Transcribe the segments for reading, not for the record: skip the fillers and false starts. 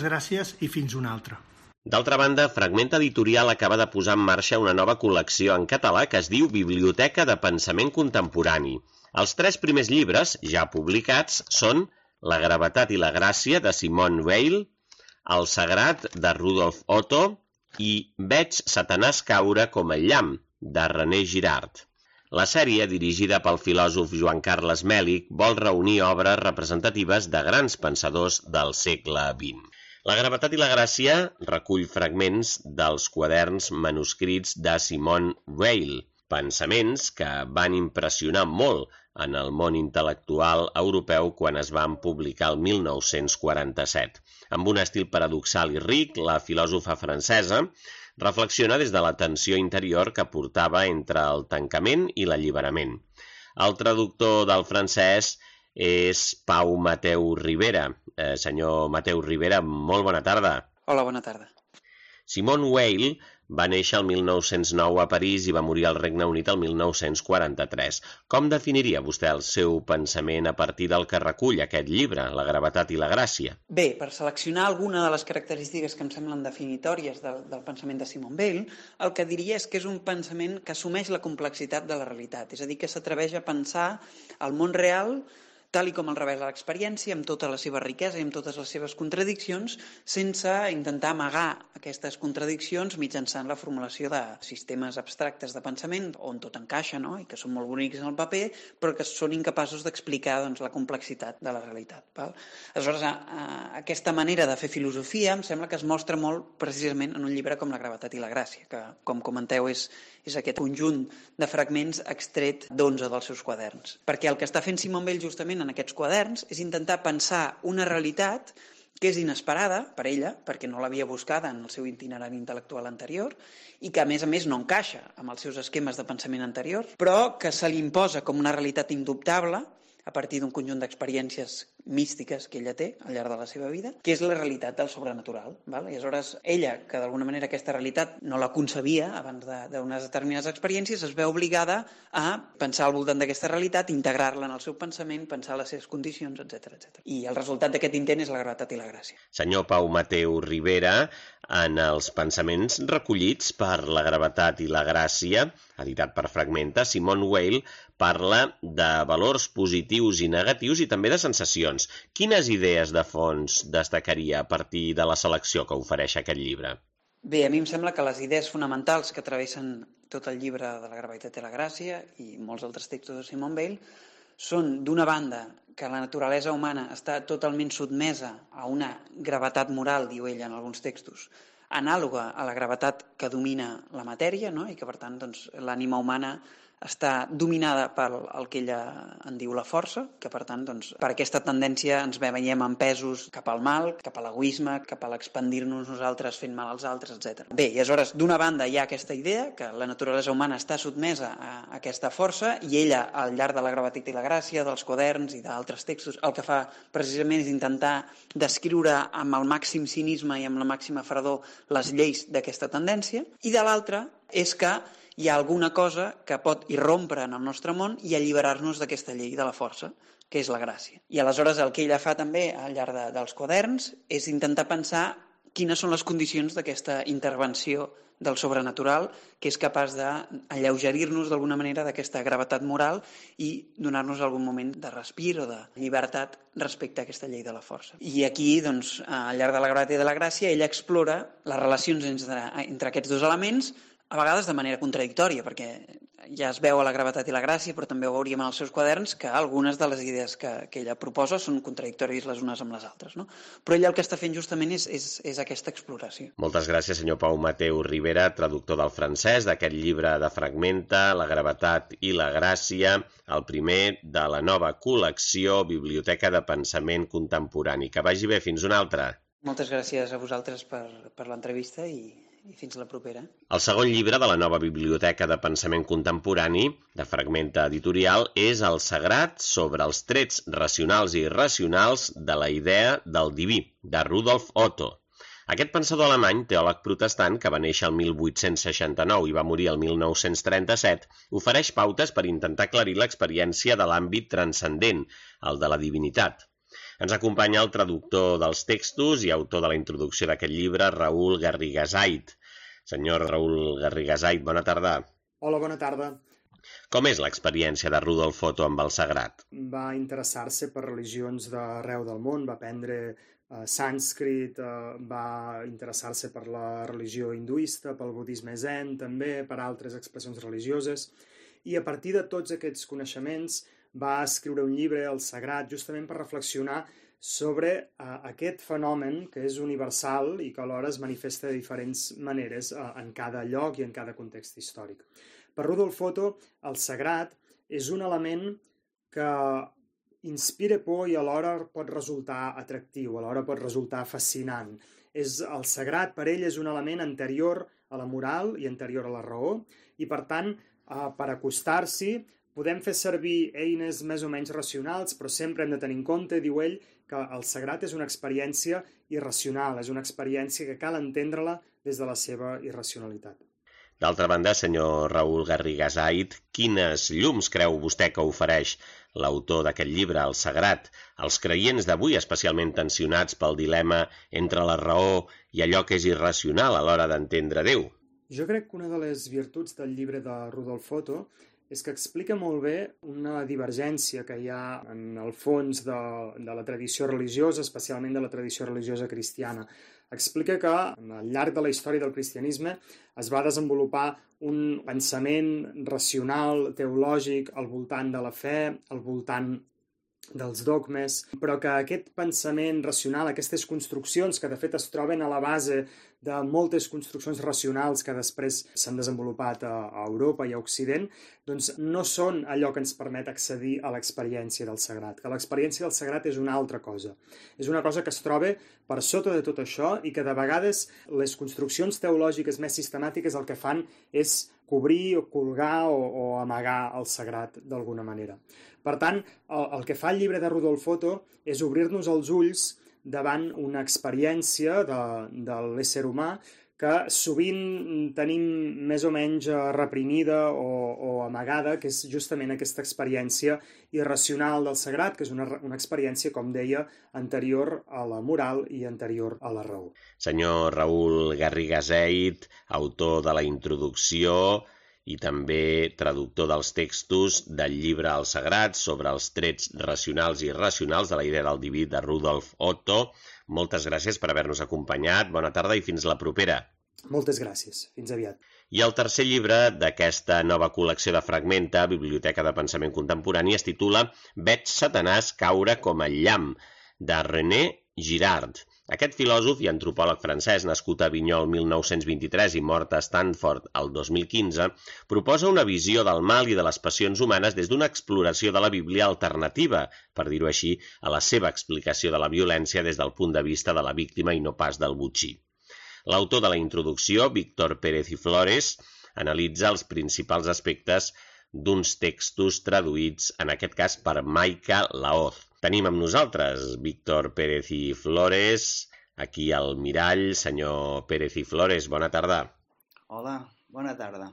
Gràcies i fins una altra. D'altra banda, Fragment Editorial acaba de posar en marxa una nova col·lecció en català que es diu Biblioteca de Pensament Contemporani. Els 3 primers llibres, ja publicats, són La gravetat i la gràcia, de Simone Weil, El sagrat, de Rudolf Otto, i Veig Satanàs caure com el llamp, de René Girard. La sèrie, dirigida pel filòsof Joan Carles Mèlich, vol reunir obres representatives de grans pensadors del segle XX. La gravetat i la gràcia recull fragments dels quaderns manuscrits de Simone Weil, pensaments que van impressionar molt en el món intel·lectual europeu quan es van publicar el 1947. Amb un estil paradoxal i ric, la filòsofa francesa reflexiona des de la tensió interior que portava entre el tancament i l'alliberament. El traductor del francès és Pau Mateu Ribera. Senyor Mateu Ribera, molt bona tarda. Hola, bona tarda. Simone Weil va néixer el 1909 a París i va morir al Regne Unit el 1943. Com definiria vostè el seu pensament a partir del que recull aquest llibre, La gravetat i la gràcia? Bé, per seleccionar alguna de les característiques que em semblen definitòries del pensament de Simone Weil, el que diria és que és un pensament que assumeix la complexitat de la realitat, és a dir, que s'atreveix a pensar el món real tal i com el revela l'experiència, amb tota la seva riquesa i amb totes les seves contradiccions, sense intentar amagar aquestes contradiccions mitjançant la formulació de sistemes abstractes de pensament on tot encaixa, no? I que són molt bonics en el paper, però que són incapaços d'explicar la complexitat de la realitat. Val? Aleshores, aquesta manera de fer filosofia em sembla que es mostra molt precisament en un llibre com La gravetat i la gràcia, que, com comenteu, és aquest conjunt de fragments extret d'11 dels seus quaderns. Perquè el que està fent Simone Weil justament en aquests quaderns és intentar pensar una realitat que és inesperada per ella, perquè no l'havia buscada en el seu itinerari intel·lectual anterior i que, a més, no encaixa amb els seus esquemes de pensament anterior, però que se li imposa com una realitat indubtable a partir d'un conjunt d'experiències místiques que ella té al llarg de la seva vida, que és la realitat del sobrenatural. Val? I aleshores ella, que d'alguna manera aquesta realitat no la concebia abans d'unes determinades experiències, es veu obligada a pensar al voltant d'aquesta realitat, integrar-la en el seu pensament, pensar les seves condicions, etc. I el resultat d'aquest intent és La gravetat i la gràcia. Senyor Pau Mateu Ribera, en els pensaments recollits per La gravetat i la gràcia, editat per Fragmenta, Simone Weil parla de valors positius i negatius i també de sensacions. Quines idees de fons destacaria a partir de la selecció que ofereix aquest llibre? Bé, a mi em sembla que les idees fonamentals que travessen tot el llibre de La gravetat i la gràcia i molts altres textos de Simone Weil són, d'una banda, que la naturalesa humana està totalment sotmesa a una gravetat moral, diu ella en alguns textos, anàloga a la gravetat que domina la matèria, no? I que, per tant, l'ànima humana està dominada per el que ella en diu la força, que per tant, per aquesta tendència ens veiem empesos cap al mal, cap a l'egoisme, cap a l'expandir-nos nosaltres fent mal als altres, etc. Bé, i aleshores, d'una banda hi ha aquesta idea que la naturalesa humana està sotmesa a aquesta força i ella, al llarg de La gravetat i la gràcia, dels quaderns i d'altres textos, el que fa precisament és intentar descriure amb el màxim cinisme i amb la màxima fredor les lleis d'aquesta tendència, i de l'altra és que hi ha alguna cosa que pot irrompre en el nostre món i alliberar-nos d'aquesta llei de la força, que és la gràcia. I aleshores el que ella fa també al llarg dels quaderns és intentar pensar quines són les condicions d'aquesta intervenció del sobrenatural que és capaç d'alleugerir-nos d'alguna manera d'aquesta gravetat moral i donar-nos algun moment de respir o de llibertat respecte a aquesta llei de la força. I aquí, al llarg de La gravetat i de la gràcia, ella explora les relacions entre aquests dos elements, a vegades de manera contradictòria, perquè ja es veu a La gravetat i la gràcia, però també ho veuríem en els seus quaderns, que algunes de les idees que ella proposa són contradictòries les unes amb les altres. No? Però ella el que està fent justament és aquesta exploració. Moltes gràcies, senyor Pau Mateu Ribera, traductor del francès, d'aquest llibre de Fragmenta, La gravetat i la gràcia, el primer de la nova col·lecció Biblioteca de Pensament Contemporani. Que vagi bé, fins una altra. Moltes gràcies a vosaltres per l'entrevista i fins la propera. El segon llibre de la nova Biblioteca de Pensament Contemporani, de Fragmenta Editorial, és El sagrat sobre els trets racionals i irracionals de la idea del diví, de Rudolf Otto. Aquest pensador alemany, teòleg protestant, que va néixer el 1869 i va morir el 1937, ofereix pautes per intentar aclarir l'experiència de l'àmbit transcendent, el de la divinitat. Ens acompanya el traductor dels textos i autor de la introducció d'aquest llibre, Raül Garrigasait. Senyor Raül Garrigasait, bona tarda. Hola, bona tarda. Com és l'experiència de Rudolf Otto amb el sagrat? Va interessar-se per religions d'arreu del món, va aprendre sànscrit, va interessar-se per la religió hinduista, pel budisme zen, també per altres expressions religioses, i a partir de tots aquests coneixements va escriure un llibre, El Sagrat, justament per reflexionar sobre aquest fenomen que és universal i que alhora es manifesta de diferents maneres en cada lloc i en cada context històric. Per Rudolf Otto, el sagrat és un element que inspira por i alhora pot resultar atractiu, alhora pot resultar fascinant. El sagrat per ell és un element anterior a la moral i anterior a la raó i, per tant, per acostar-s'hi podem fer servir eines més o menys racionals, però sempre hem de tenir en compte, diu ell, que el sagrat és una experiència irracional, és una experiència que cal entendre-la des de la seva irracionalitat. D'altra banda, senyor Raül Garrigasait, quines llums creu vostè que ofereix l'autor d'aquest llibre, El Sagrat, als creients d'avui, especialment tensionats pel dilema entre la raó i allò que és irracional a l'hora d'entendre Déu? Jo crec que una de les virtuts del llibre de Rudolf Otto és que explica molt bé una divergència que hi ha en el fons de la tradició religiosa, especialment de la tradició religiosa cristiana. Explica que al llarg de la història del cristianisme es va desenvolupar un pensament racional, teològic, al voltant de la fe, al voltant dels dogmes, però que aquest pensament racional, aquestes construccions que de fet es troben a la base de moltes construccions racionals que després s'han desenvolupat a Europa i a Occident, doncs no són allò que ens permet accedir a l'experiència del sagrat, que l'experiència del sagrat és una altra cosa. És una cosa que es troba per sota de tot això i que de vegades les construccions teològiques més sistemàtiques el que fan és cobrir o colgar o amagar el sagrat d'alguna manera. Per tant, el que fa el llibre de Rudolf Otto és obrir-nos els ulls davant una experiència de l'ésser humà que sovint tenim més o menys reprimida o amagada, que és justament aquesta experiència irracional del sagrat, que és una experiència, com deia, anterior a la moral i anterior a la raó. Senyor Raül Garrigasait, autor de la introducció i també traductor dels textos del llibre El Sagrat sobre els trets racionals i irracionals de la idea del diví de Rudolf Otto. Moltes gràcies per haver-nos acompanyat. Bona tarda i fins la propera. Moltes gràcies. Fins aviat. I el tercer llibre d'aquesta nova col·lecció de Fragmenta, Biblioteca de Pensament Contemporani, es titula Veig Satanàs caure com el llamp, de René Girard. Aquest filòsof i antropòleg francès, nascut a Avinyó el 1923 i mort a Stanford el 2015, proposa una visió del mal i de les passions humanes des d'una exploració de la Bíblia alternativa, per dir-ho així, a la seva explicació de la violència des del punt de vista de la víctima i no pas del botxí. L'autor de la introducció, Víctor Pérez i Flores, analitza els principals aspectes d'uns textos traduïts, en aquest cas per Maika Laoz. Tenim amb nosaltres Víctor Pérez i Flores, aquí al mirall. Senyor Pérez i Flores, bona tarda. Hola, bona tarda.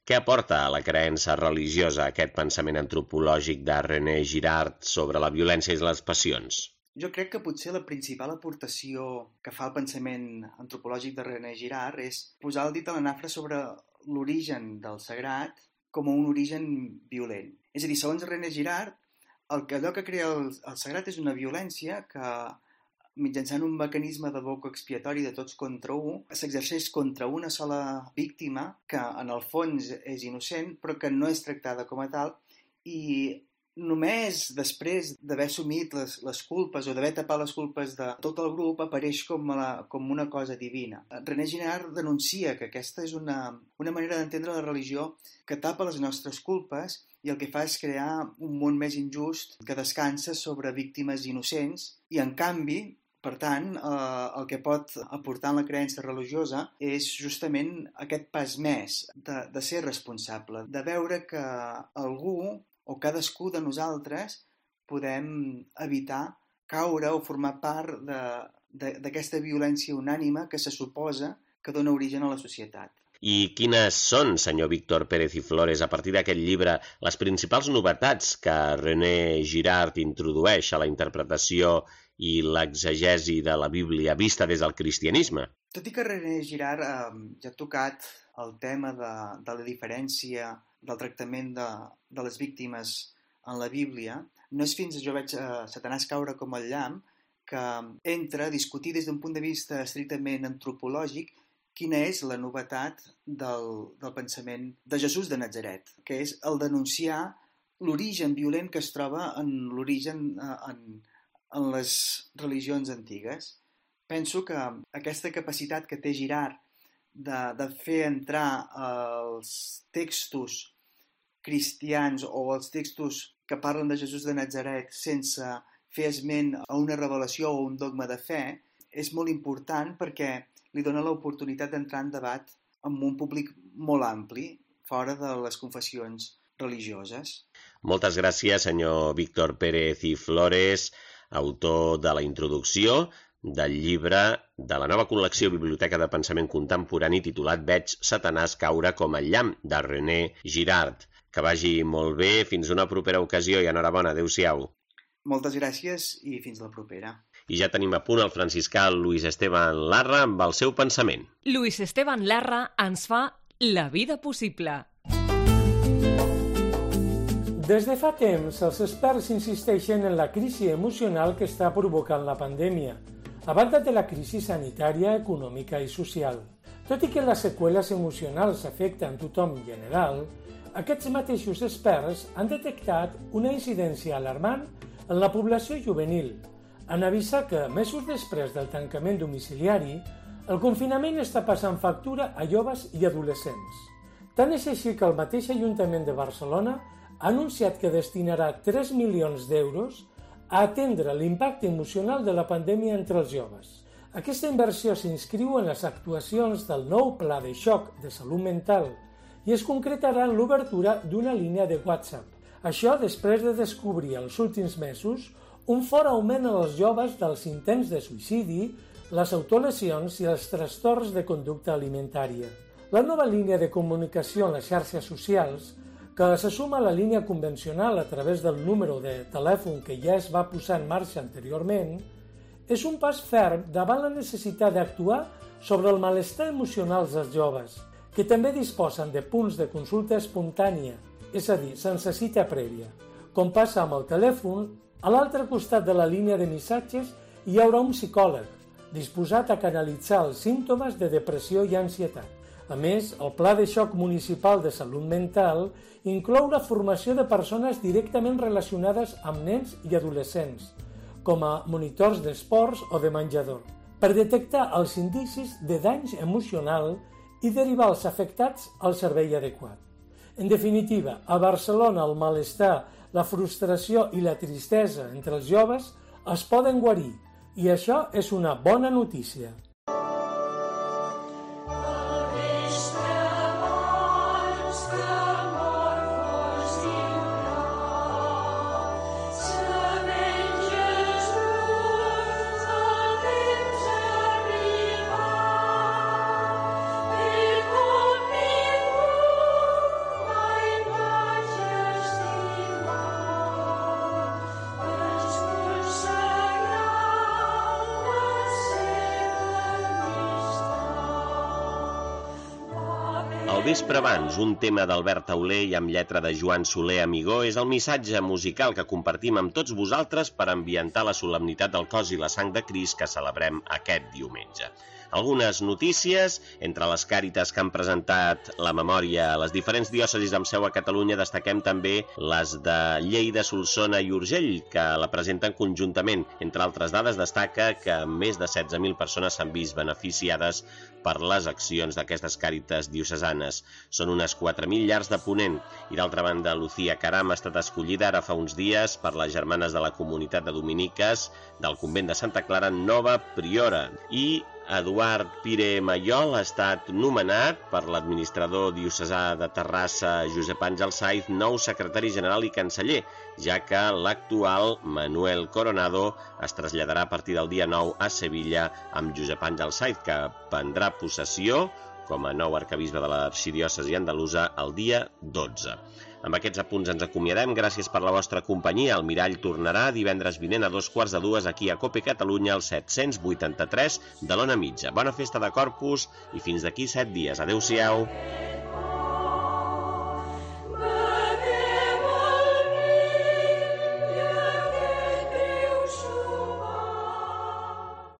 Què aporta a la creença religiosa aquest pensament antropològic de René Girard sobre la violència i les passions? Jo crec que potser la principal aportació que fa el pensament antropològic de René Girard és posar el dit a la nafra sobre l'origen del sagrat com un origen violent. És a dir, segons René Girard, allò que crea el sagrat és una violència que, mitjançant un mecanisme de boca expiatori de tots contra un, s'exerceix contra una sola víctima que, en el fons, és innocent, però que no és tractada com a tal, i només després d'haver assumit les culpes o d'haver tapat les culpes de tot el grup apareix com una cosa divina. René Girard denuncia que aquesta és una manera d'entendre la religió que tapa les nostres culpes i el que fa és crear un món més injust que descansa sobre víctimes innocents i, en canvi, per tant, el que pot aportar en la creença religiosa és justament aquest pas més de ser responsable, de veure que algú o cadascú de nosaltres podem evitar caure o formar part d'aquesta violència unànime que se suposa que dona origen a la societat. I quines són, senyor Víctor Pérez i Flores, a partir d'aquest llibre, les principals novetats que René Girard introdueix a la interpretació i l'exegesi de la Bíblia vista des del cristianisme. Tot i que René Girard ja ha tocat el tema de la diferència del tractament de les víctimes en la Bíblia, no és fins jo veig Satanàs caure com el llamp que entra a discutir des d'un punt de vista estrictament antropològic quina és la novetat del pensament de Jesús de Natzaret, que és el denunciar l'origen violent que es troba en l'origen en les religions antigues. Penso que aquesta capacitat que té Girard de fer entrar els textos cristians o els textos que parlen de Jesús de Natzaret sense fer esment a una revelació o un dogma de fe és molt important perquè li dona l'oportunitat d'entrar en debat amb un públic molt ampli, fora de les confessions religioses. Moltes gràcies, senyor Víctor Pérez i Flores, autor de la introducció del llibre de la nova col·lecció Biblioteca de Pensament Contemporani titulat Veig Satanàs caure com el llamp, de René Girard. Que vagi molt bé, fins una propera ocasió i enhorabona, adéu-siau. Moltes gràcies i fins la propera. I ja tenim a punt el franciscà Luis Esteban Larra amb el seu pensament. Luis Esteban Larra ens fa la vida possible. Des de fa temps, els experts insisteixen en la crisi emocional que està provocant la pandèmia, a banda de la crisi sanitària, econòmica i social. Tot i que les seqüeles emocionals afecten tothom en general, aquests mateixos experts han detectat una incidència alarmant en la població juvenil, en avisar que, mesos després del tancament domiciliari, el confinament està passant factura a joves i adolescents. Tant és així que el mateix Ajuntament de Barcelona ha anunciat que destinarà 3 milions d'euros a atendre l'impacte emocional de la pandèmia entre els joves. Aquesta inversió s'inscriu en les actuacions del nou Pla de Xoc de Salut Mental i es concretarà en l'obertura d'una línia de WhatsApp. Això després de descobrir els últims mesos un fort augment en els joves dels intents de suïcidi, les autolesions i els trastorns de conducta alimentària. La nova línia de comunicació en les xarxes socials, que se suma a la línia convencional a través del número de telèfon que ja es va posar en marxa anteriorment, és un pas ferm davant la necessitat d'actuar sobre el malestar emocional dels joves, que també disposen de punts de consulta espontània, és a dir, sense cita prèvia. Com passa amb el telèfon, a l'altre costat de la línia de missatges hi haurà un psicòleg, disposat a canalitzar els símptomes de depressió i ansietat. A més, el Pla de Xoc Municipal de Salut Mental inclou la formació de persones directament relacionades amb nens i adolescents, com a monitors d'esports o de menjador, per detectar els indicis de danys emocional i derivar els afectats al servei adequat. En definitiva, a Barcelona el malestar, la frustració i la tristesa entre els joves es poden guarir, i això és una bona notícia. Al vespre abans, un tema d'Albert Tauler i amb lletra de Joan Soler Amigó és el missatge musical que compartim amb tots vosaltres per ambientar la solemnitat del cos i la sang de Crist que celebrem aquest diumenge. Algunes notícies, entre les càritas que han presentat la memòria a les diferents diòcesis amb seu a Catalunya, destaquem també les de Lleida, Solsona i Urgell, que la presenten conjuntament. Entre altres dades, destaca que més de 16.000 persones s'han vist beneficiades per les accions d'aquestes càritas diocesanes. Són unes 4.000 llars de ponent. I d'altra banda, Lucía Caram ha estat escollida ara fa uns dies per les germanes de la comunitat de dominiques del convent de Santa Clara nova priora. I Eduard Pire Mayol ha estat nomenat per l'administrador diocesà de Terrassa, Josep Àngel Saiz, nou secretari general i canceller, ja que l'actual Manuel Coronado es traslladarà a partir del dia 9 a Sevilla amb Josep Àngel Saiz, que prendrà possessió com a nou arquebisbe de l'arxidiòcesi andalusa el dia 12. Amb aquests apunts ens acomiadem. Gràcies per la vostra companyia. El Mirall tornarà divendres vinent a 2:45 aquí a COPE Catalunya, al 783 de l'Ona Mitja. Bona festa de Corpus i fins d'aquí 7 dies. Adéu-siau.